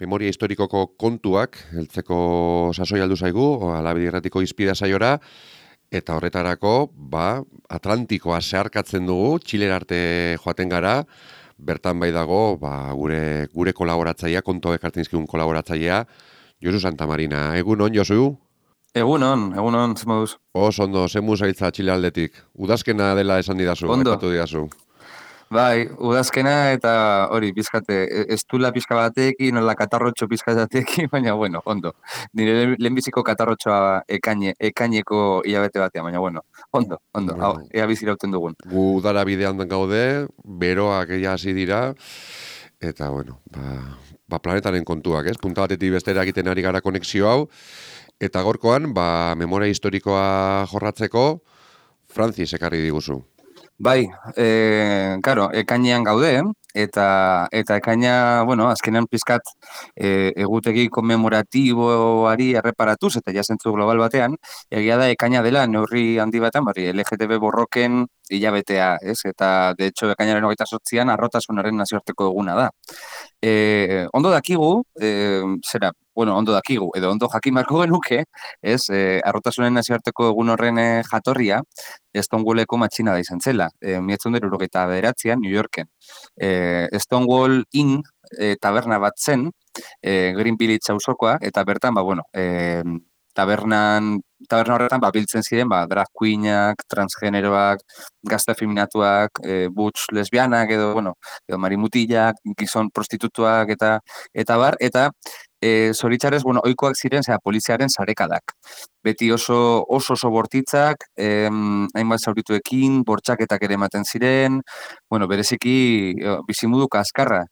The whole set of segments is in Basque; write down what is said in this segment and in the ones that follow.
Memoria historikoko kontuak, heltzeko sasoi aldu zaigu, Alabedi Irratiko Hizpide saiora, eta horretarako, Atlantikoa zeharkatzen dugu, Txilera arte joaten gara, bertan bai dago, gure kolaboratzailea, kontu ekartzen dizkigun kolaboratzailea, Josu Santamarina. Egunon, Josu? Egunon, zemoduz. Ondo, zemu zailtza Txile aldetik. Udazkena dela esan didazu, Ondo, aipatu didazu. bai, udazkena eta hori, pizkate, ez dula pizka batekin, nola katarrotxo pizka batekin, baina bueno, ondo. Nire lehenbiziko katarrotxoa ekaineko hilabete batean, baina bueno, ondo, hau, Bueno, ea bizirauten dugun. gu udara bidean gaude, beroak ja hasi dira, eta bueno, planetaren kontuak, ez? Punta batetik bestera egiten ari gara konexio hau, eta gorkoan, memoria historikoa jorratzeko, Francis ekarri diguzu. Bai, karo, ekainean gaude, eta ekaina, bueno, azkenean pizkat egutegi konmemoratiboari erreparatuz, eta jasentzu global batean, egia da ekaina dela neurri handi batean, LGTB borroken hilabetea, ez? Eta, de hecho, ekainaren 28an arrotasunaren nazioarteko eguna da. Ondo dakigu, ondo dakigu, edo ondo jakin beharko genuke, ez, arrotasunen nazioarteko egun horren jatorria, Stonewalleko matxina da izan zela, 1979an New Yorken. Stonewall Inn taberna bat zen, Green Village auzokoa, eta bertan, taberna horretan biltzen ziren drag queenak, transgeneroak, gazte feminatuak, butch lesbianak edo marimutilak, gizon prostitutuak eta zoritxarrez, ohikoak ziren poliziaren sarekadak. Beti oso bortitzak, hainbat zaurituekin, bortxaketak ere ematen ziren, bereziki bizimudu kaskarra.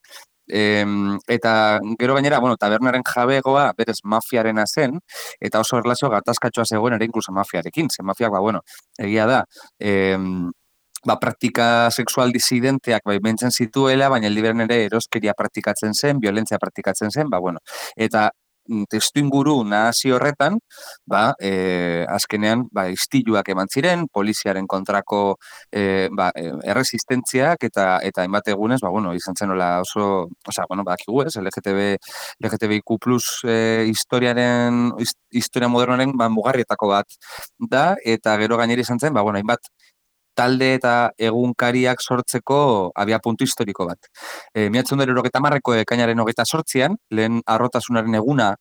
Eta gero gainera, tabernaren jabegoa berez mafiarena zen, eta oso erlazio gatazkatxoa zegoen ere inkluso mafiarekin. Ze mafiak, egia da, praktika sexual disidenteak bentzen zituela, baina liberen ere eroskeria praktikatzen zen, violentzia praktikatzen zen, eta testu inguru nahasi horretan, azkenean, istiluak eman ziren, poliziaren kontrako erresistentziak eta hainbat egunez, izan zen nola oso, bakigu ez, LGTBIQ+ historia modernoaren mugarrietako bat da, eta gero gainera izan zen, hainbat talde eta egunkariak sortzeko abiapuntu historiko bat. 1970ko ekainaren 28an, lehen arrotasunaren eguna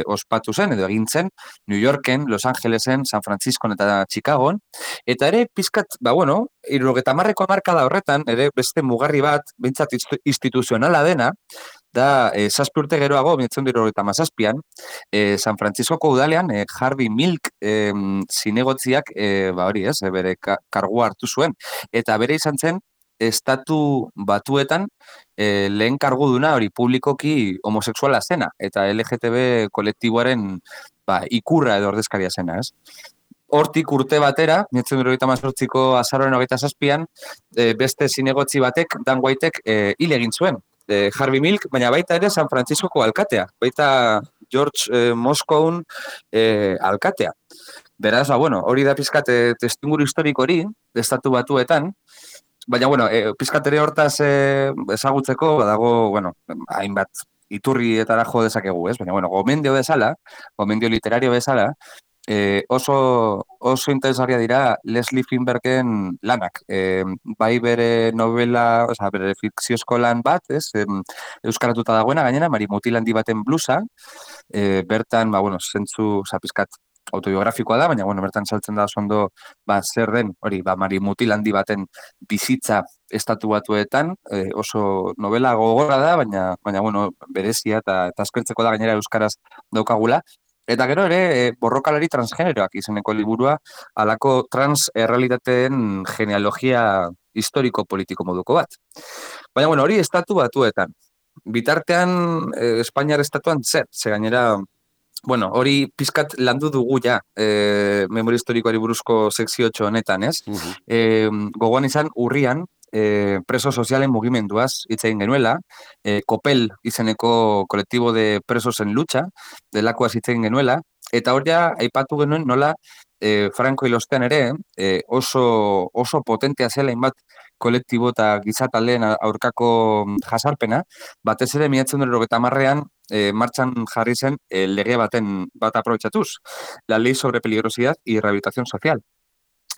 ospatu zen, edo egin zen, New Yorken, Los Angelesen, San Franciscon eta Chicagon, eta ere pizkat, 70ko hamarkada horretan, ere beste mugarri bat, behintzat instituzionala dena, da, 7 urte geroago, 1977an, San Franciscoko udalean, Harvey Milk zinegotziak, bere kargua hartu zuen. Eta bere izan zen, estatu batuetan lehen karguduna hori publikoki homosexuala zena, eta LGTB kolektiboaren ikurra edo ordezkaria zena, ez? Hortik urte batera, 1978ko azaroaren 27an, beste zinegotzi batek, Dan Whitek, hil egin zuen. Harvey Milk, baina baita ere San Franciscoko alkatea, baita George Moscone alkatea. Beraz, hori da pizkat testinguru historiko hori, estatu batuetan, baina, pizkat ere hortaz ezagutzeko, dago, hainbat iturrietara jo dezakegu, ez? Baina, gomendio literario bezala, oso interesgarria dira Leslie Finbergen lanak. Bai bere novela, bere fikziozko lan bat, ez? Euskaratuta dagoena, gainera, Marimutil handi baten blusa, bertan, zentzu, pizkat, autobiografikoa da, baina, bertan saltzen da ondo, zer den, hori, Marimutil handi baten bizitza estatu batuetan, oso novela gogorra da, baina, berezia eta askertzeko da gainera euskaraz daukagula. Eta gero ere, borrokalari transgeneroak izeneko liburua, halako trans errealitateen genealogia historiko-politiko moduko bat. Baina, hori estatu batuetan. Bitartean, Espainiar estatuan zer, ze gainera, hori pizkat landu dugu ja, memoria historikoari buruzko sekziotxo honetan, ez? Gogoan izan, urrian, preso sozialen mugimenduaz hitz egin genuela, Kopel izeneko kolektibo de presos en lucha, delakoaz hitz egin genuela, eta hor ja, aipatu genuen nola Franco hilostean ere, oso potentea zela inbat kolektibo eta gizataldeen aurkako jasarpena, batez ere 1990an martxan jarri zen lege bat aprobetxatuz, la ley sobre peligrosidad y rehabilitación social.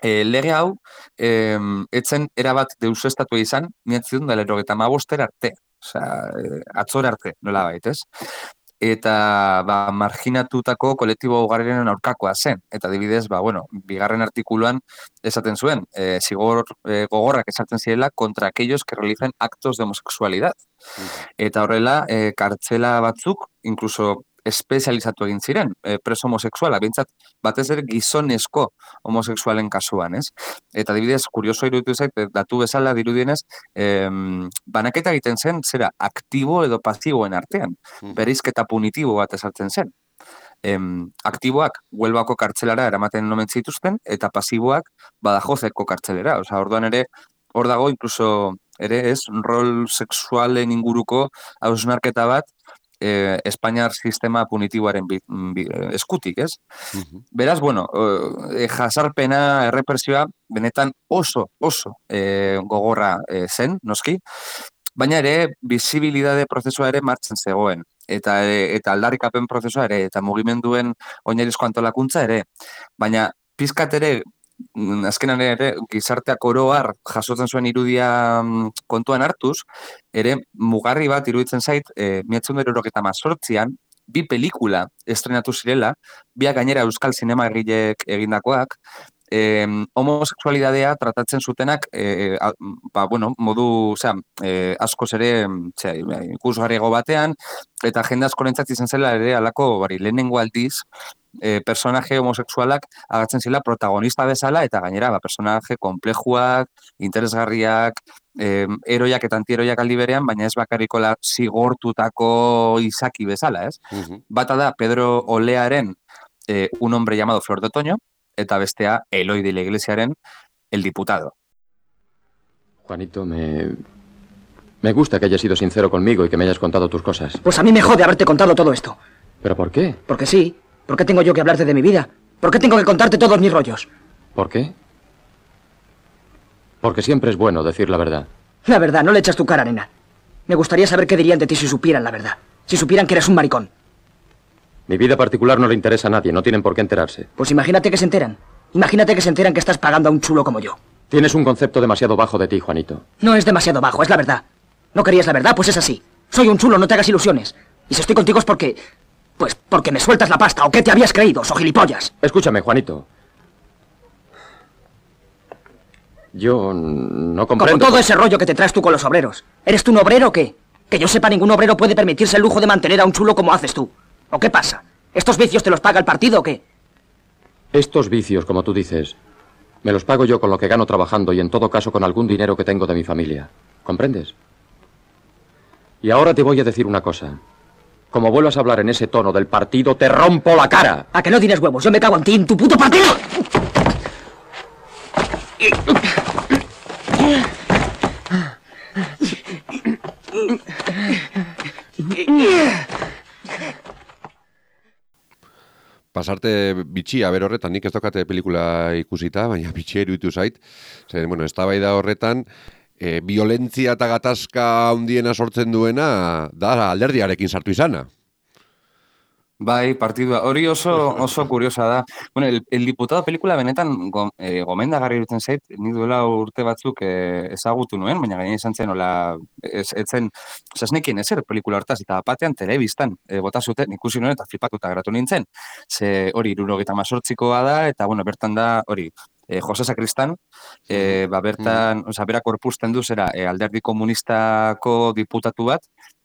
Lege hau, etzen erabat deusestatua izan, miatzen da 95 arte, osea, atzora arte, nola baitez. Eta marginatutako kolektibo ugariren aurkakoa zen. Eta adibidez, bigarren artikuluan esaten zuen, zigor gogorrak esartzen zirela contra aquellos que realizan actos de homosexualidad. Eta horrela, kartzela batzuk, incluso espezializatu egin ziren, preso homosexuala, bintzat, batez ere gizonezko homosexualen kasuan, ez? Eta adibidez, kurioso iruditu zait, datu bezala dirudienez, banaketa egiten zen, zera, aktibo edo pasiboen artean, bereizketa punitibo bat esartzen zen. Aktiboak Huelbako kartzelara eramaten omen zituzten, eta pasiboak Badajozeko kartzelera. Osea, orduan ere, hor dago, incluso, ere, ez, rol sexualen inguruko hausnarketa bat, Espainiar sistema punitiboaren eskutik, ez? Beraz, jasarpena, errepresioa, benetan oso gogorra zen, noski, baina ere, bizibilidade prozesua ere martzen zegoen, eta aldarrikapen prozesua ere, eta mugimenduen oinarrizko antolakuntza ere, baina pizkat ere, azkenan ere, gizarteak oroar jasotzen zuen irudia kontuan hartuz, ere mugarri bat iruditzen zait, 1978an, bi pelikula estrenatu zirela, biak gainera euskal zinema egileek egindakoak, homosexualidadea tratatzen zutenak, modu, askoz ere, ikusgarriago batean, eta jende askorentzat izan zela ere alako, lehenengo aldiz, personaje homosexualak agatzen zila protagonista bezala, eta gainera, personaje komplejuak, interesgarriak, eroiak eta antieroiak aldi berean, baina ez bakarrikola zigortutako izaki bezala, ez? Bata da, Pedro Olearen Un hombre llamado Flor de Otoño, eta bestea Eloy de la Iglesiaren El diputado. Juanito, me gusta que hayas sido sincero conmigo y que me hayas contado tus cosas. Pues a mí me jode haberte contado todo esto. ¿Pero por qué? Porque sí. ¿Por qué tengo yo que hablarte de mi vida? ¿Por qué tengo que contarte todos mis rollos? ¿Por qué? Porque siempre es bueno decir la verdad. La verdad, no le echas tu cara, nena. Me gustaría saber qué dirían de ti si supieran la verdad. Si supieran que eres un maricón. Mi vida particular no le interesa a nadie, no tienen por qué enterarse. Pues imagínate que se enteran. Imagínate que se enteran que estás pagando a un chulo como yo. Tienes un concepto demasiado bajo de ti, Juanito. No es demasiado bajo, es la verdad. ¿No querías la verdad? Pues es así. Soy un chulo, no te hagas ilusiones. Y si estoy contigo es porque... Pues porque me sueltas la pasta, ¿o qué te habías creído, so gilipollas? Escúchame, Juanito. Yo no comprendo... Como todo ese rollo que te traes tú con los obreros. ¿Eres tú un obrero o qué? Que yo sepa, ningún obrero puede permitirse el lujo de mantener a un chulo como haces tú. ¿O qué pasa? ¿Estos vicios te los paga el partido o qué? Estos vicios, como tú dices, me los pago yo con lo que gano trabajando y en todo caso con algún dinero que tengo de mi familia. ¿Comprendes? Y ahora te voy a decir una cosa. Como vuelvas a hablar en ese tono del partido, te rompo la cara. ¿A que no tienes huevos? Yo me cago en ti, en tu puto partido. Pasarte bitxia ber horretan, nik ez dokate pelikula ikusita, baina bitxia iruditu zait. Zer, eztabaida horretan, violentzia eta gatazka handiena sortzen duena da alderdiarekin sartu izana. Bai, partidua. Hori oso kuriosa da. Bueno, el diputado pelikula benetan gomendagarri iruditzen zait, nik duela urte batzuk ezagutu nuen, baina gaina izan zen, etzen, ez nekien ezer pelikula hortaz, eta batean telebistan bota zuten, ikusi nuen eta flipatuta geratu nintzen. Ze hori 78koa da, eta bertan da, hori, Jose Sakristán, bertan, berak korpusten du zera alderdi komunistako diputatu bat,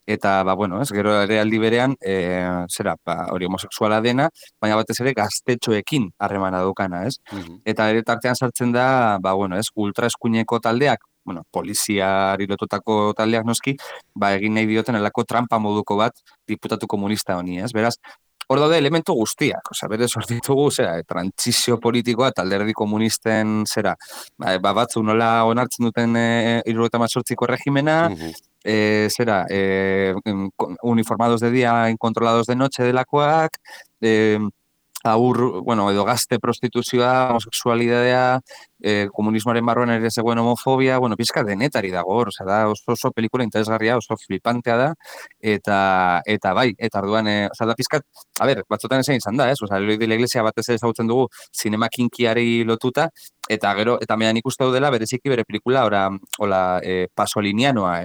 eta, gero ere aldi berean, hori homosexuala dena, baina batez ere gaztetxoekin harremana daukana, ez? Eta ere tartean sartzen da, ultraeskuineko taldeak, poliziari lotutako taldeak noski, egin nahi dioten elako trampa moduko bat diputatu komunista honi, ez? Beraz, hor daude elementu guztiak, berez hor ditugu, trantzizio politikoa eta alderdi komunisten, batzu nola onartzen duten 78ko erregimena, uniformados de día, incontrolados de noche delakoak, edo gazte prostituzioa, homosexualidadea, komunismoaren barruan ere zegoen homofobia, bueno, pizka denetari dago hor, da oso pelikula interesgarria, oso flipantea da, eta bai, eta orduan, da pizkat, a ber, batzutan esan izan da, Eloi de la Iglesia batez ere ezagutzen dugu zinema kinkiari lotuta, eta gero, eta mehan ikuste dela bereziki bere pelikula, hola, pasolinianoa,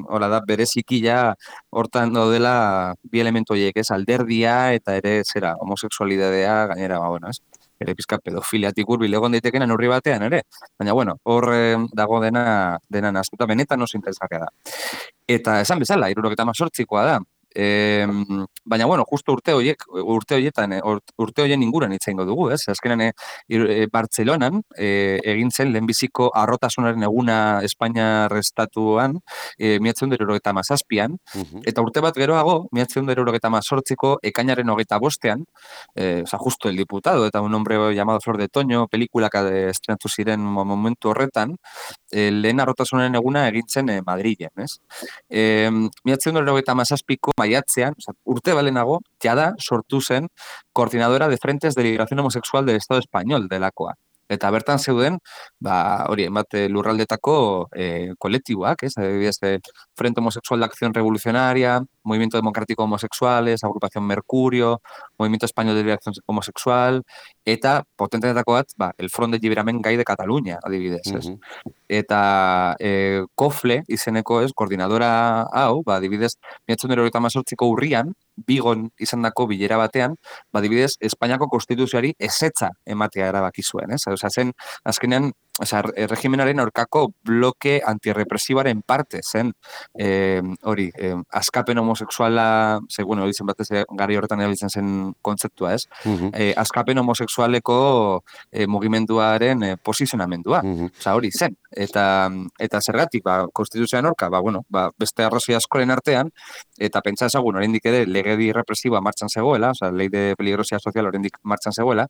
hola da, bereziki ja hortan daudela bi elementu horiek, alderdia eta ere zera, homosexualidadea gainera, bueno, ere pizka pedofiliatik hurbil egon daitekena neurri batean ere. Baina, bueno, hor dago dena naztuta, benetan oso interesgarria da. Eta esan bezala, 78koa da. Baina, bueno, justo urte horien inguran hitz egingo dugu, Azkenan, Bartzelonan egin zen lehenbiziko arrotasunaren eguna Espainia estatuan, 1977an, eta urte bat geroago, 1978ko ekainaren 25ean, justo el diputado, eta un hombre llamado Flor de Toño, pelikulak estrenatu ziren momentu horretan, lehen arrotasunaren eguna egin zen Madrilen, 1977ko maiatzean, urte balenago, jada sortu zen Coordinadora de Frentes de Liberación Homosexual del Estado Español delakoa. Eta bertan zeuden, hori, lurraldetako kolektiboak, adibidez, Frente Homosexual de Acción Revolucionaria, Movimiento Democrático Homosexuales, Agrupación Mercurio, Movimiento Español de Liberación Homosexual, eta potenteetako bat, el Front de Lliberament Gai de Catalunya, adibidez, Eta COFLE izeneko, koordinadora hau, adibidez, 1978ko urrian, Bigon izandako bilera batean, adibidez, Espainiako konstituzioari ezetza ematea erabaki zuen, zen, azkenean, regimenaren aurkako bloke antirrepresibaren parte zen, hori, askapen homosexuala, bueno, hori zen batez gari horretan erabiltzen zen kontzeptua, askapen homosexualeko mugimenduaren posizionamendua, hori zen, eta zergatik, konstituzioan aurka, beste arrazoi askoren artean, eta pentsa ezagun, oraindik ere, legedi represiboa martxan zegoela, ley de peligrosidad social oraindik martxan zegoela,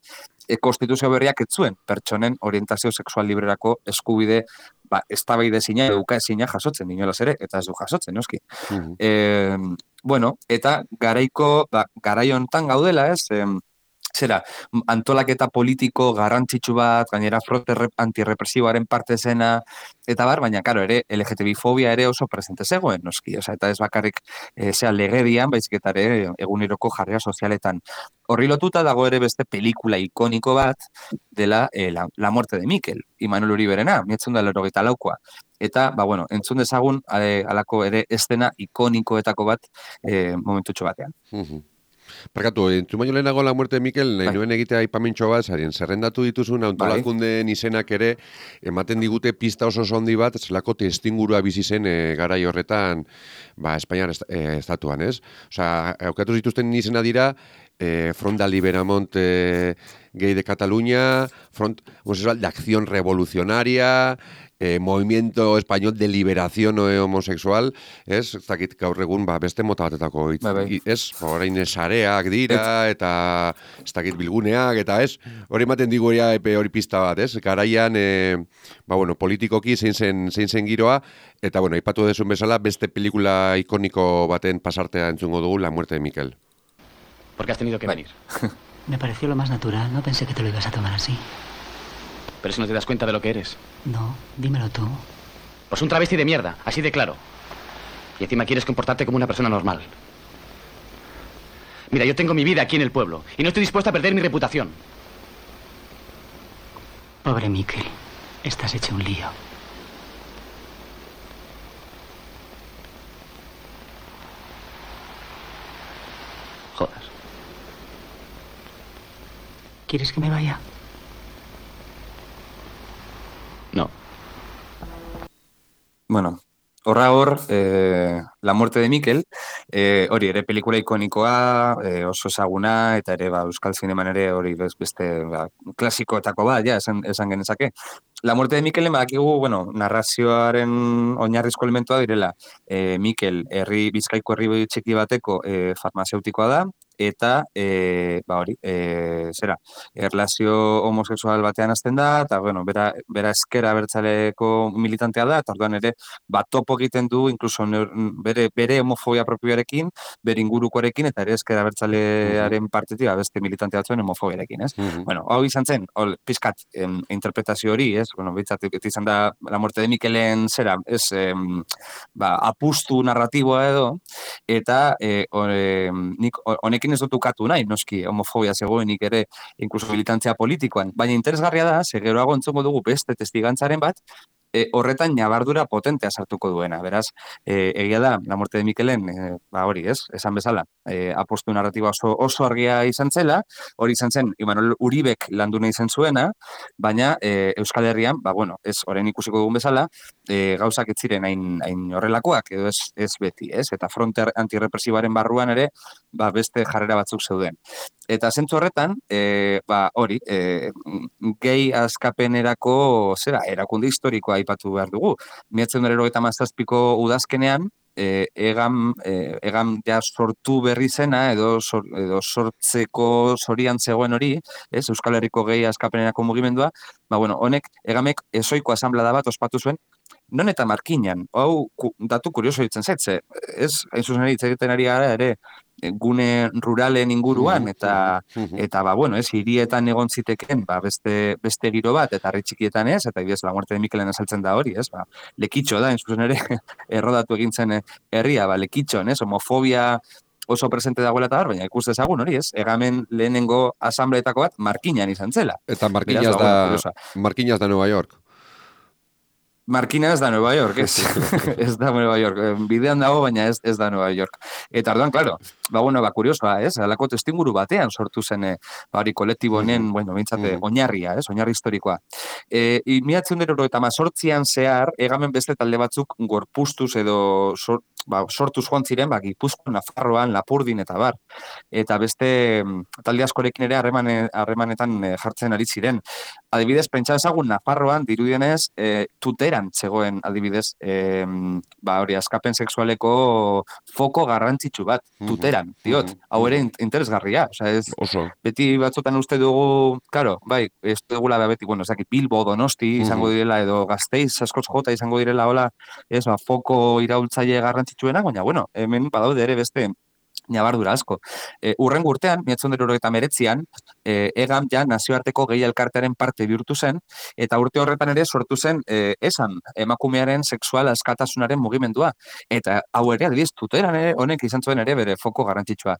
konstituzio berriak ez zuen pertsonen orientazio sexual librerako eskubide eztabaide ezina eduka ezina jasotzen inolaz ere, eta ez du jasotzen, noski. Bueno, eta garai hontan gaudela, zera, antolaketa politiko garrantzitsu bat, gainera fronte antirrepresiboaren parte zena, eta baina, karo, ere, LGTBI-fobia ere oso presente zegoen, noski, eta ez bakarrik legedian, baizik eta ere eguneroko jarrera sozialetan. Horri lotuta dago ere beste pelikula ikoniko bat dela La muerte de Mikel, Imanol Uriberena, 1984koa. Eta, bueno, entzun dezagun alako ere estena ikonikoetako bat momentutxo batean. Parkatu, entzun baino lehenago La muerte de Mikel, nahi nuen egitea aipamintxo bat, zerrendatu dituzun antolakundeen izenak ere, ematen digute pista oso handi bat, zelako testingurua bizi zen garai horretan, Espainiar estatuan, ez? Osea, aukatu zituzten izena dira, Front de Liberament Gay de Cataluña, Front de Acción Revolucionaria, Movimiento Español de Liberación Homosexual, ez dakit gaur egun beste mota batetako ez, orain sareak dira eta ez dakit bilguneak eta ez, hori ematen digu hori pista bat, ez, garaian politikoki zein zen giroa, eta aipatu dezun bezala beste pelikula ikoniko baten pasartea entzungo dugu, La muerte de Mikel. ¿Por qué has tenido que venir? Me pareció lo más natural, no pensé que te lo ibas a tomar así. Pero si no te das cuenta de lo que eres. No, dímelo tú. Pues un travesti de mierda, así de claro. Y encima quieres comportarte como una persona normal. Mira, yo tengo mi vida aquí en el pueblo y no estoy dispuesto a perder mi reputación. Pobre Mikel, estás hecho un lío. Joder. ¿Quieres que me vaya? No. Bueno, La muerte de Mikel, hori ere pelikula ikonikoa, oso ezaguna, eta ere Euskal Zineman ere hori beste klasikoetako bat, esan genezake. La muerte de Mikelen badakigu, bueno, narrazioaren oinarrizko elementua direla. Mikel, Bizkaiko herri txiki bateko farmazeutikoa da, eta, hori, erlazio homosexual batean hasten da, eta, bueno, bera ezker abertzaleko militantea da, eta orduan ere, topo egiten du, incluso bere homofobia propioarekin, bere ingurukoarekin, eta ere ezker abertzalearen partetik, beste militante batzuen homofobiarekin, ez? Bueno, hau izan zen, pizkat interpretazio hori, ez? Bueno, bitzat, izan da, La muerte de Mikelen zera, ez, apustu narratiboa edo, eta nik honekin ez dut ukatu nahi, noski homofobia zegoenik ere, inkluso militantzia politikoan, baina interesgarria da, geroago entzongo dugu beste testigantzaren bat, horretan nabardura potentea sartuko duena. Beraz, egia da, La muerte de Mikelen, hori, ez? Esan bezala, apostu narratiba oso argia izan zela, hori izan zen, Imanol Uribek landu nahi zen zuena, baina Euskal Herrian, bueno, ez orain ikusiko dugun bezala, gauzak ez ziren hain horrelakoak, edo ez beti, ez? Eta fronte antirrepresibaren barruan ere, beste jarrera batzuk zeuden. Eta zentzu horretan, hori, gehi askapenerako, erakunde historikoa aipatu behar dugu. 1997ko udazkenean, egan ja sortu berri zena, edo sortzeko zorian zegoen hori, ez, Euskal Herriko gehi askapenerako mugimendua, honek, egamek ezoiko asamblada bat ospatu zuen, non eta markinan, hau datu kurioso ditzen zetze, ez, hain zuzen egiten ari gara ere, gune ruralen inguruan, eta ez, hirietan egon ziteken, beste giro bat, eta herri txikietan ez, eta ibidez, La muerte de Mikelen azaltzen da hori, ez, lekitxo da, hain zuzen ere, errodatu egin zen herria, lekitxon, ez, homofobia oso presente dagoela eta baina ikus dezagun hori, ez, egamen lehenengo asambleetako bat markinan izan zela. Eta Markinas da Nueva York. Markina ez da Nueva York, ez? Ez da Nueva York. Bidean dago, baina ez da Nueva York. Eta orduan, claro, kuriosoa, ez? Alako testinguru batean sortu zen, hori kolektibo honen, bintzate, oinarria, ez? Oinarri historikoa. 1988an zehar, egamen beste talde batzuk gorpustuz edo sortuz joan ziren, Gipuzkoan, Nafarroan, Lapurdin eta bar. Eta beste talde askorekin ere harremanetan jartzen ari ziren. Adibidez, pentsa ezagun Nafarroan, dirudienez, Tuteran zegoen adibidez, hori askapen sexualeko foko garrantzitsu bat, Tuteran, diot, hau ere interesgarria, beti batzutan uste dugu, claro, ez dugula beti, Bilbo, Donosti izango direla, edo Gasteiz, askoz jota izango direla, hola, foko iraultzaile garrantzitsuena, baina, hemen badaude ere beste nabardura asko. Urrengo urtean, 1989an, EGAM ja nazioarteko gehi elkartearen parte bihurtu zen, eta urte horretan ere sortu zen emakumearen sexual askatasunaren mugimendua. Eta hau ere, adibidez, Tuteran ere, honek izan zuen ere bere foko garrantzitsua.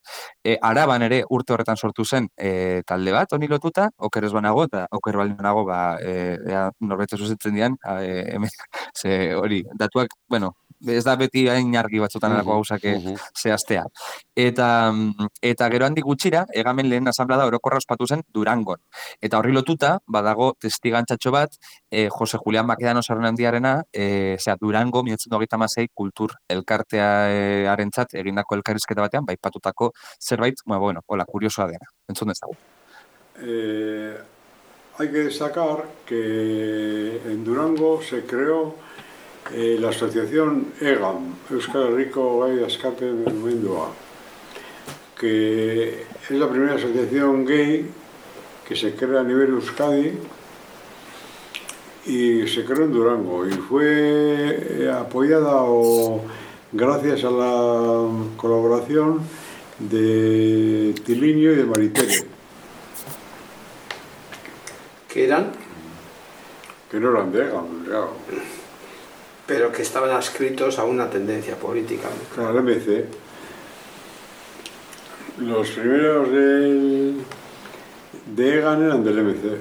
Araban ere urte horretan sortu zen talde bat, honi lotuta, oker ez banago, eta oker baldin banago, norbete zuzentzen dian, hori, datuak, ez da beti hain argi batzutan erako gauzak zehaztea. Eta gero handik gutxira, egamen lehen asamblada orokorra ospatu zen Durangon. Eta horri lotuta, badago testigantzatxo bat, Jose Julián Bakedano Sarnandiarena, Durango, 1926 kultur elkartearentzat egindako elkarrizketa batean, baipatutako zerbait, hola, kuriosoa dena. Entzun dezagun. Hay que destacar que en Durango se creó la asociación EGAM, Euskal Herriko Gai Askapen Mugimendua, que es la primera asociación gay que se crea a nivel Euskadi y se creó en Durango y fue apoyada gracias a la colaboración de Tiliño y de Maritere. ¿Qué eran? Que no eran de EGAM, claro. Pero que estaban adscritos a una tendencia política. Claro, MC. Los primeros de EGAN eran del MC.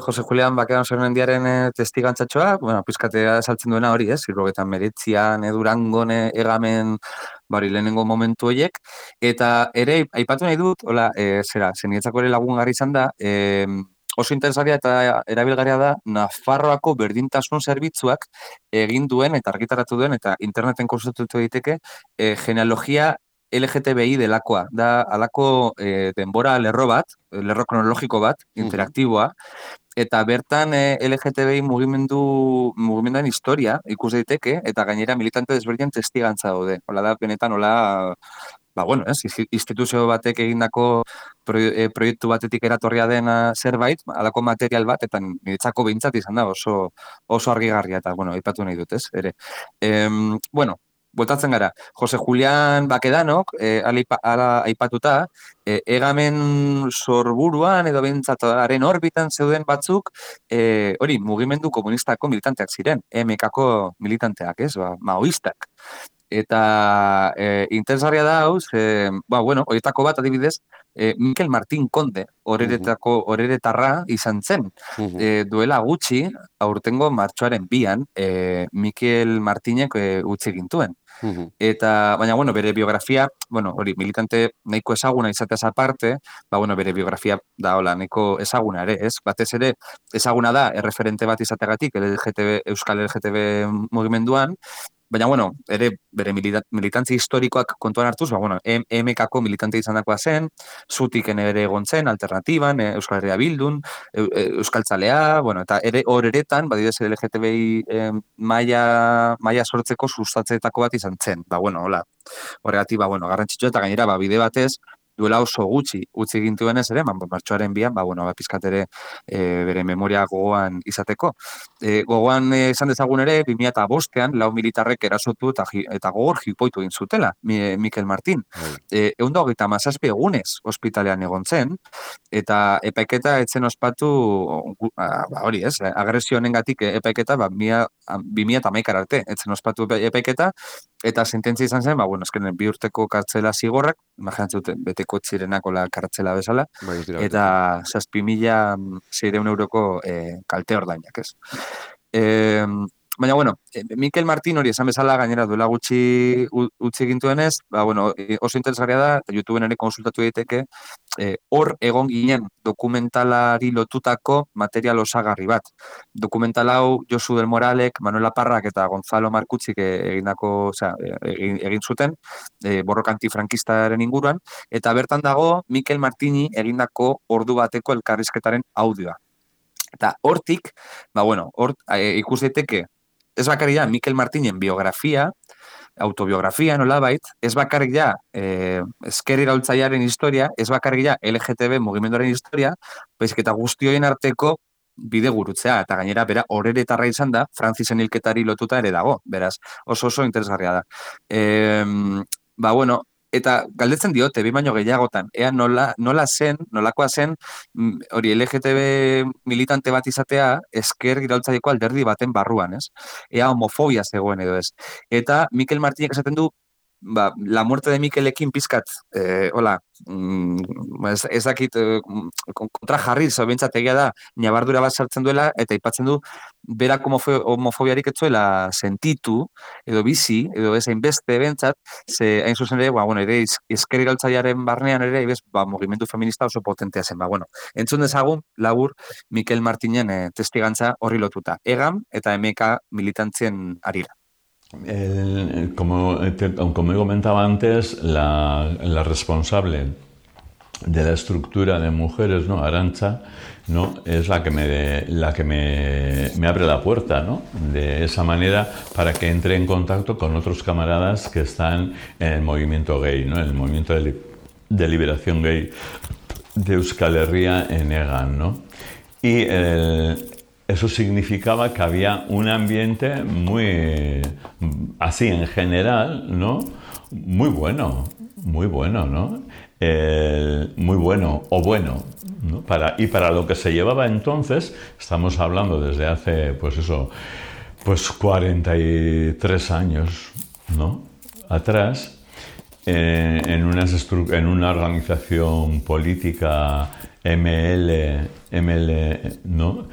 Jose Julián Bakedano Sarnandiaren testigantzatxoa, pizkatea saltzen duena hori, ez? 1989an Durangon egamen lehenengo momentu horiek, eta ere, aipatu nahi dut, zeniretzako ere lagungarri izan da, oso interesgarria eta erabilgarria da, Nafarroako berdintasun zerbitzuak egin duen eta argitaratu duen, eta interneten konsultatu daiteke, genealogia LGTBI delakoa. Da alako denbora lerro kronologiko bat, interaktiboa, eta bertan LGTBI mugimenduaren historia ikus daiteke, eta gainera militante desberdinen testigantza daude. Hola da, benetan, instituzio batek egindako proiektu batetik eratorria dena zerbait, alako material bat, eta niretzako behintzat izan da oso argigarria, eta, aipatu nahi dut, ez, ere. Bueltatzen gara, Jose Julián Bakedanok, aipatuta, egamen sorburuan edo behintzataren orbitan zeuden batzuk, mugimendu komunistako militanteak ziren, MK-ko militanteak, ez, maoistak. Eta interesgarria da hau, horietako bat adibidez, Mikel Martín Konde, horeretarra izan zen. Duela gutxi, aurtengo martxoaren 2an, Mikel Martínek utzi gintuen. Baina, bere biografia, militante nahiko ezaguna izateaz aparte, bere biografia da, nahiko ezaguna ere, ez? Batez ere, ezaguna da, erreferente bat izateagatik, Euskal LGTB mugimenduan, baina, ere bere militantzi historikoak kontuan hartuz, MK-ko militante izandakoa zen, Zutiken ere egon zen, Alternatiban, Euskal Herria Bildun, Euskaltzalea, eta ere horeretan, badidez LGTBI maila sortzeko sustatzeetako bat izan zen. Horregatik, garrantzitsua eta gainera, bide batez, duela oso gutxi utzi gintuenez ere, martxoaren 2an, pizkat ere bere memoria gogoan izateko. Gogoan esan dezagun ere, 2005an, 4 militarrek erasotu eta gogor jipoitu egin zutela, Mikel Martín. 127 egunez ospitalean egon zen, eta epaiketa etzen ospatu, agresio honengatik epaiketa 2011 arte etzen ospatu epaiketa, eta sententzia izan zen, 2 urteko kartzela zigorrak, imaginatzen dute, beteko txirenako kartzela bezala, eta 7.600 euroko kalte ordainak, ez? Baina, Mikel Martín hori esan bezala gainera duela gutxi utzi gintuenez, oso interesgarria da, eta YouTubeen ere konsultatu daiteke, hor egon ginen dokumentalari lotutako material osagarri bat. Dokumental hau Josu del Moralek, Manuela Parrak eta Gonzalo Markutzik egin zuten, borroka antifrankistaren inguruan, eta bertan dago Mikel Martini egindako ordu bateko elkarrizketaren audioa. Eta hortik, ikus daiteke, ez bakarrik da Mikel Martinen biografia, autobiografia nolabait, ez bakarrik da ezker iraultzailearen historia, ez bakarrik da LGTB mugimenduaren historia, baizik eta guztioien arteko bide gurutzea, eta gainera bera horeretarra izan da, Frantzisen hilketari lotuta ere dago, beraz, oso interesgarria da. Eta galdetzen diote, 2 baino gehiagotan, ea nolakoa zen, hori LGTB militante bat izatea, ezker iraultzaileeko alderdi baten barruan, ez? Ea homofobia zegoen edo ez. Eta Mikel Martinek esaten du, la muerte de Mikelekin pizkat, ez dakit, kontra jarriz, bintzat egia da, nabardura bat sartzen duela, eta aipatzen du, berak homofobiarik etzuela sentitu, edo bizi, edo ez hainbeste bintzat, ze hain zuzen ere, ere ezker iraultzailearen barnean ere, mugimendu feminista oso potentea zen. Entzun dezagun, labur, Mikel Martinen testigantza horri lotuta. EGAM eta MK militantzien arira. Como he comentado antes, la responsable de la estructura de mujeres, ¿no? Arantxa, ¿no? Es la que me abre la puerta, ¿no? De esa manera para que entre en contacto con otros camaradas que están en el movimiento gay, ¿no? En el movimiento de liberación gay de Euskal Herria en EGAN, ¿no? Y eso significaba que había un ambiente muy, así en general, ¿no? Muy bueno, ¿no? Muy bueno o bueno, ¿no? Para lo que se llevaba entonces, estamos hablando desde hace, 43 años, ¿no? Atrás, en una organización política ML, ¿no?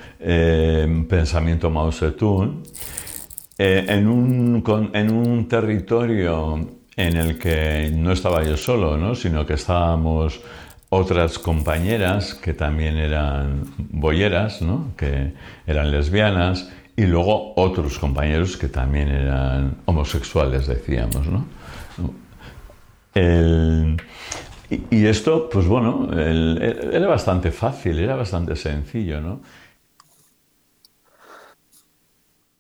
Pensamiento Mao Zedong, en un territorio en el que no estaba yo solo, ¿no? Sino que estábamos otras compañeras que también eran bolleras, ¿no? Que eran lesbianas, y luego otros compañeros que también eran homosexuales, decíamos, ¿no? Y esto, pues bueno, era bastante fácil, era bastante sencillo, ¿no?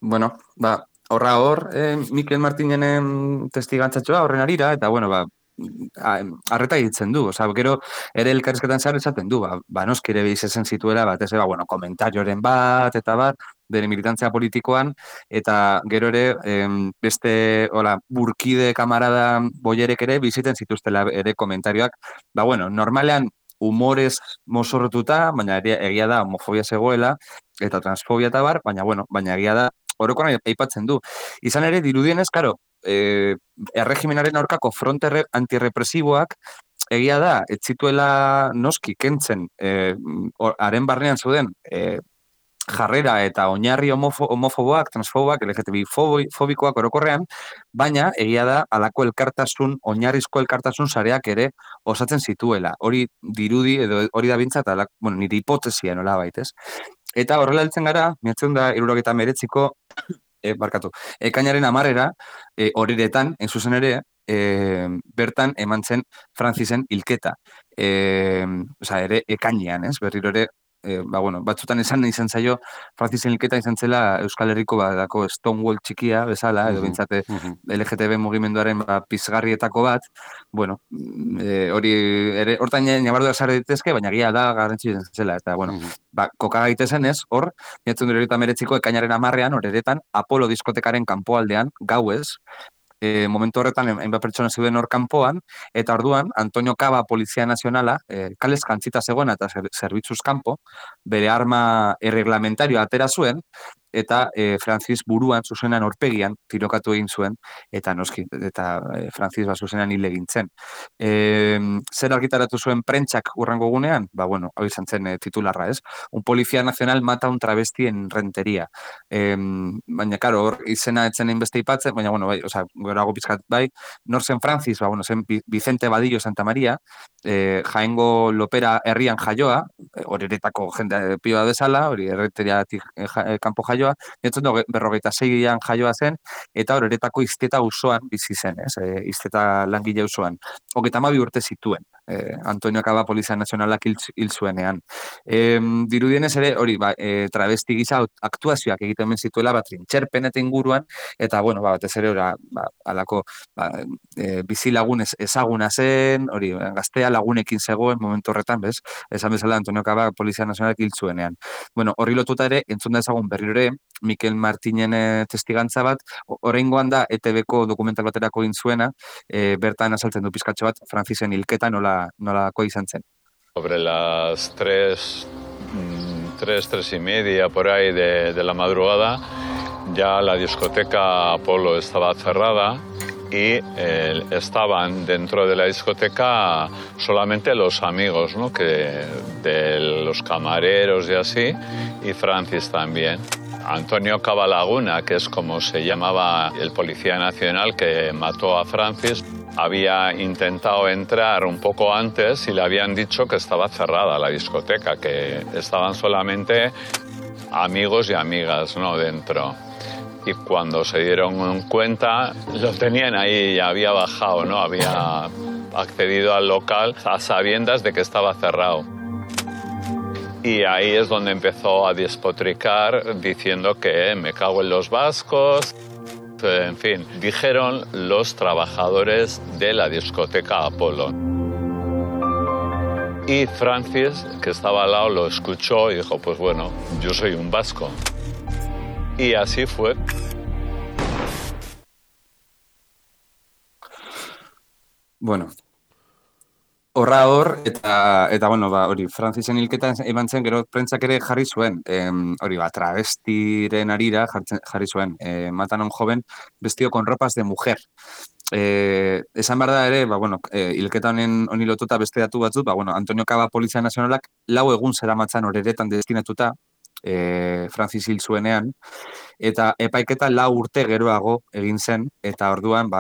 Bueno, hor, Mikel Martinenen testigantzatxoa horren arira, eta, bueno, arreta egiten du, gero ere elkarrizketan zehar esaten du, noski ere bizitzen zituela, batez ere, komentarioren bat, eta bat, bere militantzia politikoan, eta gero ere, beste, burkide kamarada boierek ere biziten zituztela ere komentarioak, normalean humorez mozorrotuta, baina egia da homofobia zegoela, eta transfobia eta bar, baina egia da orokorra aipatzen du. Izan ere, dirudienez, karo, erregimenaren aurkako fronte antirrepresiboak, egia da, ez zituela noski kentzen, haren barnean zuden, jarrera eta oinarri homofoboak, transfoboak, LGTBI fobikoak orokorrean, baina egia da alako elkartasun, oinarrizko elkartasun sareak ere osatzen zituela. Hori dirudi, edo hori da bintzat, nire hipotesia nola baitez. Eta horrela heltzen gara, 1979ko, ekainaren 10 horiretan, zuzen ere, bertan eman zen Francisen hilketa. Ere, ekainean, berriro ere, batzutan izan zaio, Francisen hilketa izan zela Euskal Herriko badako Stonewall txikia bezala, edo bintzate LGTB mugimenduaren pizgarrietako bat, hori ere, hortan nabarduak zara ditezke, baina gira da garrantzi izan zela, eta, koka gaitezen ez, hor, 1979ko ekainaren 10 horretan, Apollo diskotekaren kanpoaldean, gauez, momentu horretan, hainbat pertsona zeuden hor kanpoan, eta orduan, Antonio Caba Polizia Nazionala, kalez jantzita zegoen eta zerbitzuz kanpo, bere arma erreglamentario atera zuen, eta Francis buruan, zuzenan aurpegian, tirokatu egin zuen, eta noski, eta Francis zuzenan hil egin zen. Zer argitaratu zuen prentsak urrango gunean? Hau izan zen titularra, ez? Un policía nacional mata un travesti en rentería. Baina, karo, hor izena etzen inbeste ipatzen, baina, gorago pizkat bai, nor zen Francis, zen Vicente Badillo Santa Maria, Jaengo Lopera herrian jaioa, horeretako jende pioa bezala, hori erreteriatik kanpo jaioa, 1956an jaioa zen, eta horeretako Izteta usoan bizi zen, Izteta langile usoan. 32 urte zituen, Antonio Caba Polizia Nazionalak hil zuenean. Dirudienez ere, hori, travesti gisa aktuazioak egiten zituela, trintxerpen eta inguruan, eta, batez ere, alako bizi lagun ezaguna zen, hori, gaztea lagunekin zegoen momentu horretan, bez? Esan bezala Antonio Caba Polizia Nazionalak hil zuenean. Horri lotuta ere, entzun da ezagun berriro ere, Mikel Martinen testigantza bat, oraingoan da ETB-ko dokumental baterako egin zuena, bertan azaltzen du pizkatxo bat, Francisen hilketa nolako izan zen. Sobre las 3 y media por ahí de la madrugada, ya la discoteca Apolo estaba cerrada y estaban dentro de la discoteca solamente los amigos, ¿no? De los camareros y así, y Francis también. Antonio Cabalaguna, que es como se llamaba el policía nacional que mató a Francis, había intentado entrar un poco antes y le habían dicho que estaba cerrada la discoteca, que estaban solamente amigos y amigas, ¿no? Dentro. Y cuando se dieron cuenta, lo tenían ahí, ya había bajado, ¿no? Había accedido al local a sabiendas de que estaba cerrado. Y ahí es donde empezó a despotricar diciendo que me cago en los vascos. En fin, dijeron los trabajadores de la discoteca Apolo. Y Francis, que estaba al lado, lo escuchó y dijo, pues bueno, yo soy un vasco. Y así fue. Bueno, horra hor, eta hori, Francisen hilketa eman zen, gero prentsak ere jarri zuen, hori, travestiren arira jarri zuen, matan a un joven vestido con ropas de mujer. Esan behar da ere, hilketa honi lotuta beste datu batzut, Antonio Caba Polizia Nazionalak 4 egun zeramatzan horeretan destinatuta, Francis hil zuenean, eta epaiketa 4 urte geroago egin zen, eta orduan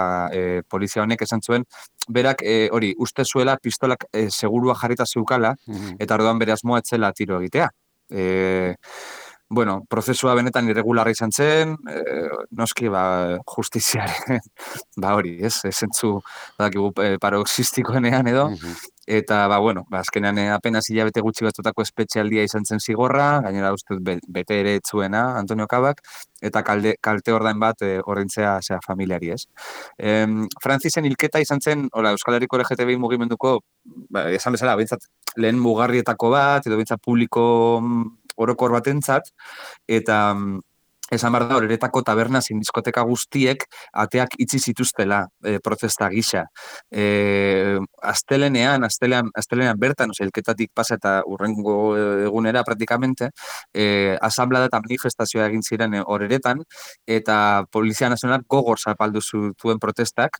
polizia honek esan zuen, berak hori uste zuela pistolak segurua jarrita zeukala, eta orduan bere asmoa etzela tiro egitea. bueno, prozesua benetan irregularra izan zen, noski, justiziaren, hori, zentzu, badakigu, paroxistikoenean edo, eta, bueno, azkenean apenas hilabete gutxi batzutako espetxealdia izan zen zigorra, gainera uste bete ere etzuena Antonio Kabak, eta kalte ordain bat ordaintzea familiari, ez. Frantzisen hilketa izan zen, Euskal Herriko LGTBI mugimenduko, esan bezala, bintzat, lehen mugarrietako bat, edo bintzat publiko orokor batentzat, eta esan behar da, horeretako taberna zein diskoteka guztiek ateak itxi zituztela protesta gisa. Astelenean bertan, elketatik pasa eta urrengo egunera praktikamente, asamblea eta manifestazioa egin ziren horeretan, eta Polizia Nazional gogor zapaldu zuen protestak,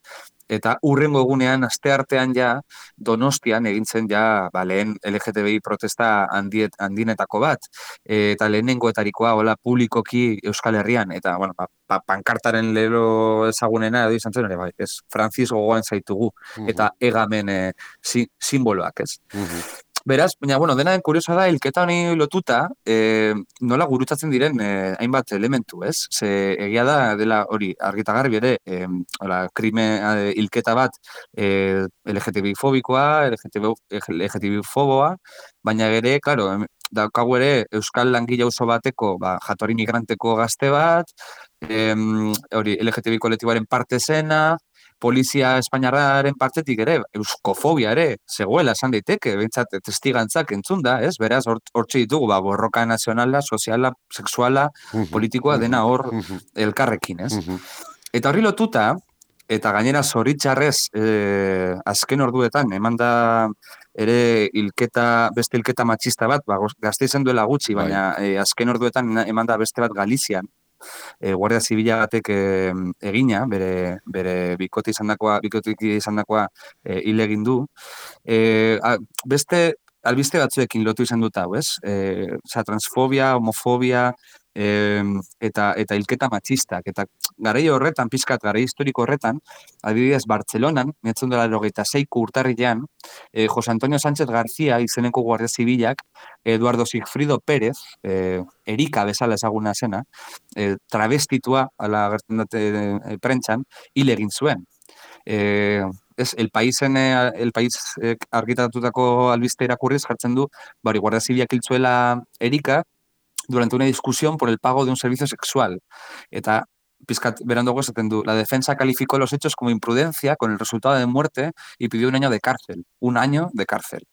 eta urrengo egunean, asteartean ja, Donostian egintzen ja, lehen LGTBI protesta handinetako bat, eta lehenengoetarikoa, publikoki Euskal Herrian, eta, bueno, pankartaren lero ezagunena, edo izan zen, Francis gogoan zaitugu, eta egamen simboloak, ez. Beraz, baina, bueno, dena den kuriosa da, hilketa honi lotuta, nola gurutzatzen diren hainbat elementu, ez? Ze egia da, dela hori, argitagarri bere, hilketa bat LGTBI-fobikoa, LGTBI-foboa, baina ere, klaro, daukagu ere, Euskal langile oso bateko, jatorri migranteko gazte bat, hori, LGTBI kolektiboaren parte zena, Polizia Espainiarraren partetik ere, euskofobia ere, zegoela esan daiteke, behintzat testigantzak entzun da, ez? Beraz, hortxe ditugu, borroka nazionala, soziala, sexuala, politikoa, dena hor elkarrekin, ez? Eta horri lotuta, eta gainera zoritxarrez azken orduetan, eman da ere beste hilketa matxista bat, gazte izan duela gutxi, baina azken orduetan eman da beste bat Galizian, Guardia Zibila batek egina, bere bikote izandakoa hil egin du. Beste albiste batzuekin lotu izan dut hau, ez? Transfobia, homofobia, eta hilketa matxistak. Eta garai horretan, pizkat garai historiko horretan, adibidez Bartzelonan, 1986ko urtarrilean, Jose Antonio Sánchez García izeneko Guardia Zibilak, Eduardo Sigfrido Pérez, Erika bezala ezaguna zena, travestitua, ala agertzen dute prentxan, hil egin zuen. El País argitatutako albiste irakurriz jartzen du, Guardia Zibilak hil zuela Erika, durante una discusión por el pago de un servicio sexual. Eta pizkat beranduago esaten du, la defensa calificó los hechos como imprudencia con el resultado de muerte y pidió 1 año de cárcel. 1 año de cárcel.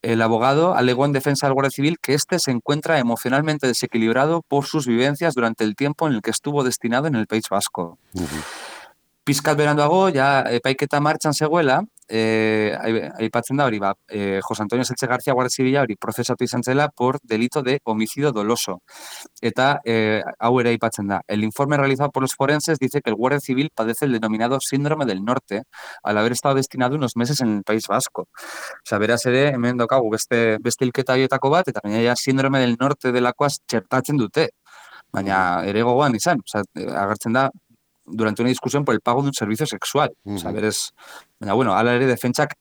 El abogado alegó en defensa del Guardia Civil que este se encuentra emocionalmente desequilibrado por sus vivencias durante el tiempo en el que estuvo destinado en el País Vasco. Pizkat beranduago, ja epaiketa martxan zegoela, aipatzen da hori, Jose Antonio Sánchez García Guardia Zibila hori prozesatu izan zela por delito de homicidio doloso. Eta hau ere aipatzen da. El informe realizado por los forenses dice que el Guardia Civil padece el denominado síndrome del norte al haber estado destinado unos meses en el País Vasco. Osa, beraz ere, hemen daukagu beste hilketa horietako bat, eta baina síndrome del norte delakoaz txertatzen dute. Baina ere gogoan izan, agertzen da, durante una discusión por el pago de un servicio sexual. Baina, bueno, ala ere defentsak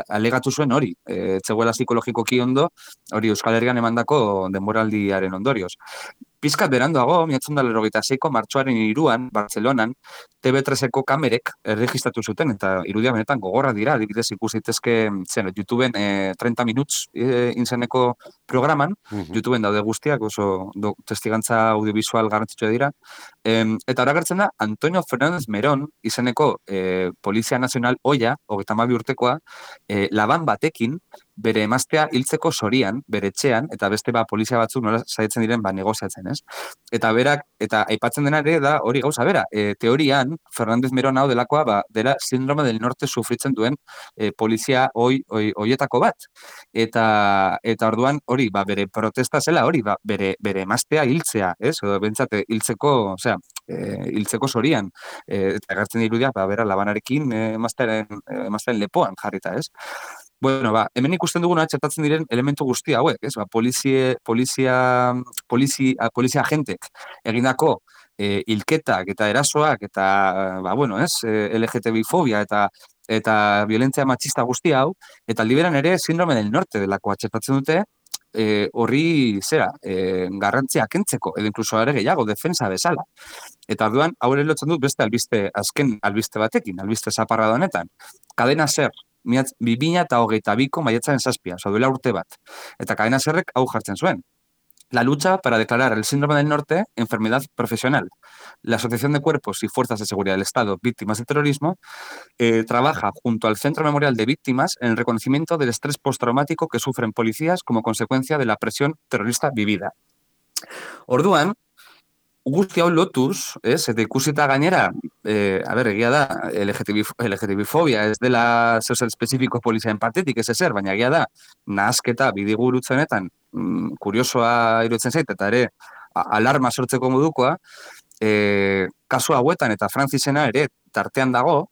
alegatu zuen hori. Etzegoela psikologikoki ondo, hori Euskal Herrian emandako denboraldiaren ondorioz. Pizkat beranduago, 1986ko martxoaren 3an, Bartzelonan, TV3eko kamerek erregistratu zuten, eta irudia benetan gogorra dira, adibidez ikusi daitezke YouTubeen 30 minuts inzeneko programan, YouTubeen daude guztiak, oso testigantza audiovisual garrantzitsua dira, eta hori agertzen da, Antonio Fernández Merón izeneko Polizia Nazional Oia, 32 urtekoa, laban batekin, bere emaztea hiltzeko sorian, bere etxean, eta beste polizia batzuk nola saiatzen diren negoziatzen, ez? Eta berak, eta aipatzen dena ere da hori gauza bera. Teorian, Fernández Merón hau delakoa, dela síndrome del norte sufritzen duen polizia hoietako bat. Eta orduan hori, bere protesta zela hori, bere emaztea hiltzea, ez? Bentsate, hiltzeko sorian. Eta agertzen irudia, bera labanarekin emaztearen lepoan jarrita, ez? Bueno, hemen ikusten duguna txertatzen diren elementu guzti hauek, ez? Polizia agentek egindako hilketak eta erasoak eta, LGTBI-fobia eta violentzia matxista guzti hau, eta aldi beran ere síndrome del norte delakoa txertatzen dute, horri garrantzia kentzeko, edo inkluso ere gehiago, defensa bezala. Eta orduan, hau ere lotzen dut beste azken albiste batekin, albiste zaparra da honetan. Cadena Ser, 2022ko maiatzaren 7, duela urte bat. Eta Cadena Serrek hau jartzen zuen. La lucha para declarar el síndrome del norte enfermedad profesional. La Asociación de Cuerpos y Fuerzas de Seguridad del Estado Víctimas del Terrorismo trabaja junto al Centro Memorial de Víctimas en el reconocimiento del estrés postraumático que sufren policías como consecuencia de la presión terrorista vivida. Orduan, guzti hau lotuz, eta ikusita gainera, egia da, LGTB-fobia ez dela zeuzer espezifiko poliziaren partetik, ez ezer, baina egia da, nahasketa bidigurutzenetan, kuriosoa iruditzen zait, eta ere, alarma sortzeko modukoa, kasu hauetan eta Francisena ere tartean dago,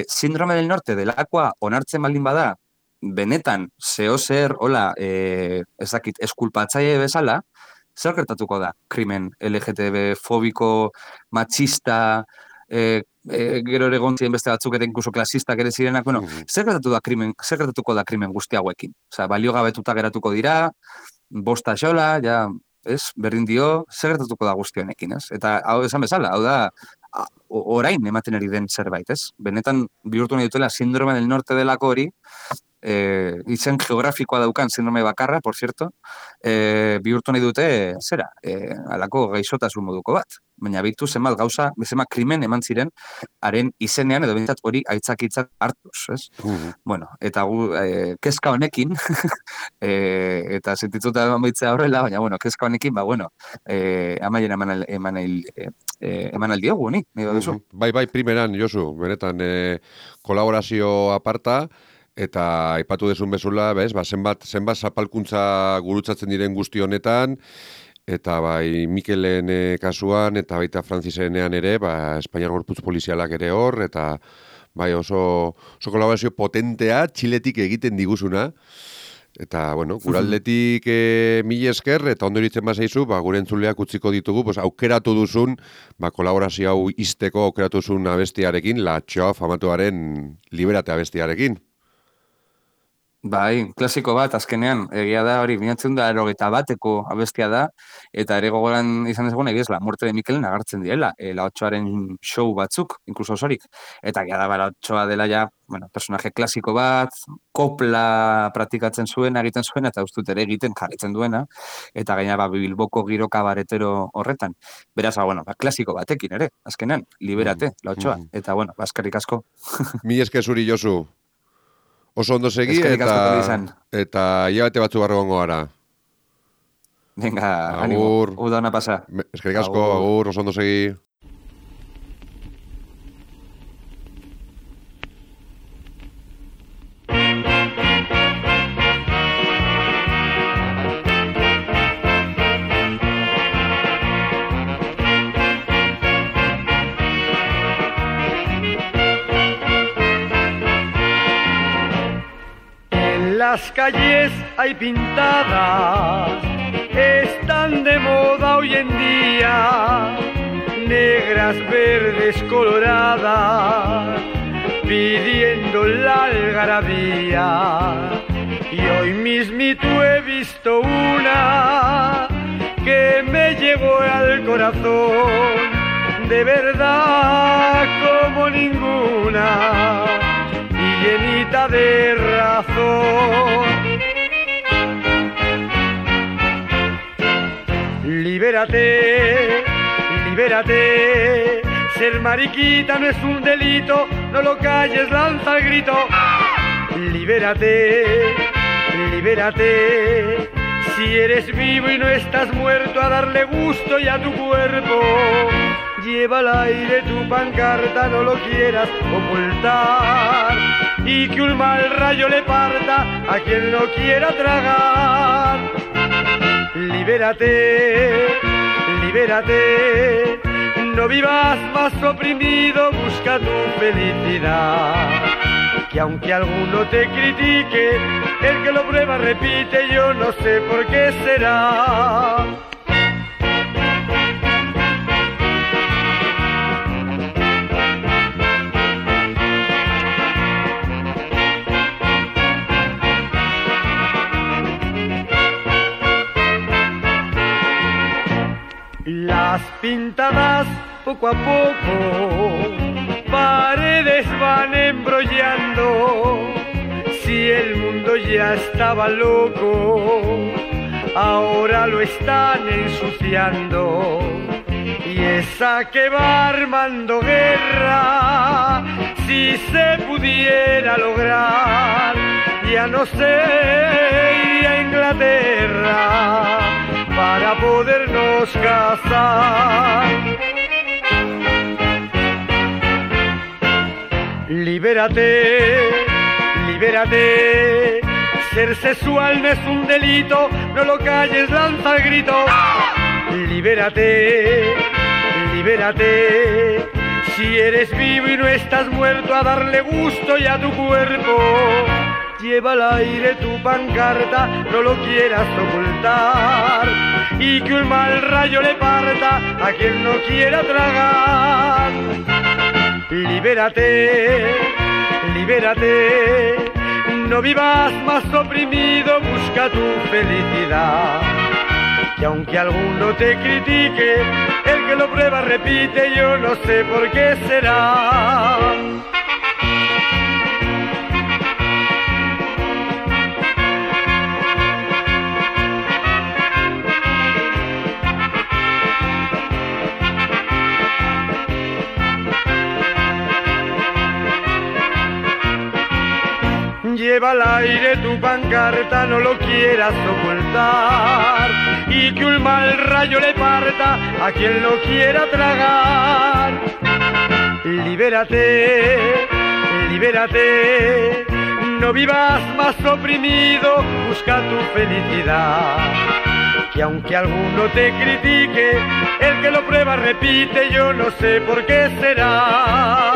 síndrome del norte delakoa onartzen baldin bada, benetan, zehozer, hola, eskulpatzaile bezala, zer gertatuko da krimen LGTB-fobiko, machista, gero ere gontzien beste batzuk ere inkluso klasistak ere zirenak, bueno, zer gertatuko da krimen guzti hauekin? Osa, balio gabetuta geratuko dira, bosta xola, ja, berdin dio, zer gertatuko da guzti honekin, ez? Eta hau esan bezala, hau da, orain ematen ari den zerbait, ez? Benetan bihurtu nahi dutela síndrome del norte delako hori, izen geografikoa daukan síndrome bakarra, por cierto, bihurtu nahi dute, alako gaixotasun moduko bat. Baina bitu zenbat gauza, zenbat krimen eman ziren, haren izenean edo bintzat hori aitzakitzat hartuz, ez? Bueno, eta kezka honekin, eta sentitzuta baitzea horrela, baina, bueno, kezka honekin, amaien eman aldiogu, ni duzu. Bai, primeran, Josu, benetan, kolaborazio aparta, eta aipatu desun bezala, zenbat zapalkuntza gurutzatzen diren guzti honetan, eta bai Mikelen kasuan, eta baita Francisenean ere, Espainiar Gorputz Polizialak ere hor, eta bai oso kolaborazio potentea, Txiletik egiten diguzuna, eta, bueno, guraldetik mila esker, eta ondo iritzen bazaizu, gure entzuleak utziko ditugu, aukeratu duzun, kolaborazio hau izteko aukeratu duzun abestiarekin, La Txoa famatuaren Liberate abestiarekin. Bai, klasiko bat, azkenean, egia da hori, 1981ko abestia da, eta ere gogoran izan ezagun, egia ez, La Muerte de Mikelen agartzen direla, La Otxoaren show batzuk, inkluso osorik, eta egia da, La Otxoa dela ja, personaje klasiko bat, kopla praktikatzen zuen, egiten zuen, eta ustut ere egiten jarritzen duena, eta gaina Bilboko giro kabaretero horretan. Beraz, klasiko batekin ere, azkenean, Liberate, La Otxoa, eta, eskerrik asko. Mila esker zuri, Josu. Oso ondo segi eta hilabete batzu barro gongo gara. Venga, ánimo. Uda ona pasa. Eskerrik asko, agur, oso ondo segi. Las calles hay pintadas, están de moda hoy en día, negras, verdes, coloradas, pidiendo la algarabía. Y hoy mismito he visto una que me llegó al corazón, de verdad como ninguna, llenita de razón. Libérate, libérate, ser mariquita no es un delito, no lo calles, lanza el grito. Libérate, libérate, si eres vivo y no estás muerto, a darle gusto ya a tu cuerpo. Lleva al aire tu pancarta, no lo quieras ocultar, y que un mal rayo le parta a quien no quiera tragar. Libérate, libérate, no vivas más oprimido, busca tu felicidad. Que aunque alguno te critique, el que lo prueba repite, yo no sé por qué será. poco a poco paredes van embrollando. Si el mundo ya estaba loco, ahora lo están ensuciando. Y esa que va armando guerra, si se pudiera lograr, ya no sé, iría a Inglaterra para podernos casar. Libérate, libérate, ser sexual no es un delito, no lo calles, lanza el grito. Libérate, libérate, si eres vivo y no estás muerto, a darle gusto ya a tu cuerpo. Lleva al aire tu pancarta, no lo quieras ocultar, y que un mal rayo le parta a quien no quiera tragar. Libérate, libérate, no vivas más oprimido, busca tu felicidad. Que aunque alguno te critique, el que lo prueba repite, yo no sé por qué será. Lleva al aire tu pancarta, no lo quieras ocultar, y que un mal rayo le parta a quien lo quiera tragar. Libérate, libérate, no vivas más oprimido, busca tu felicidad. Que aunque alguno te critique, el que lo prueba repite, yo no sé por qué será.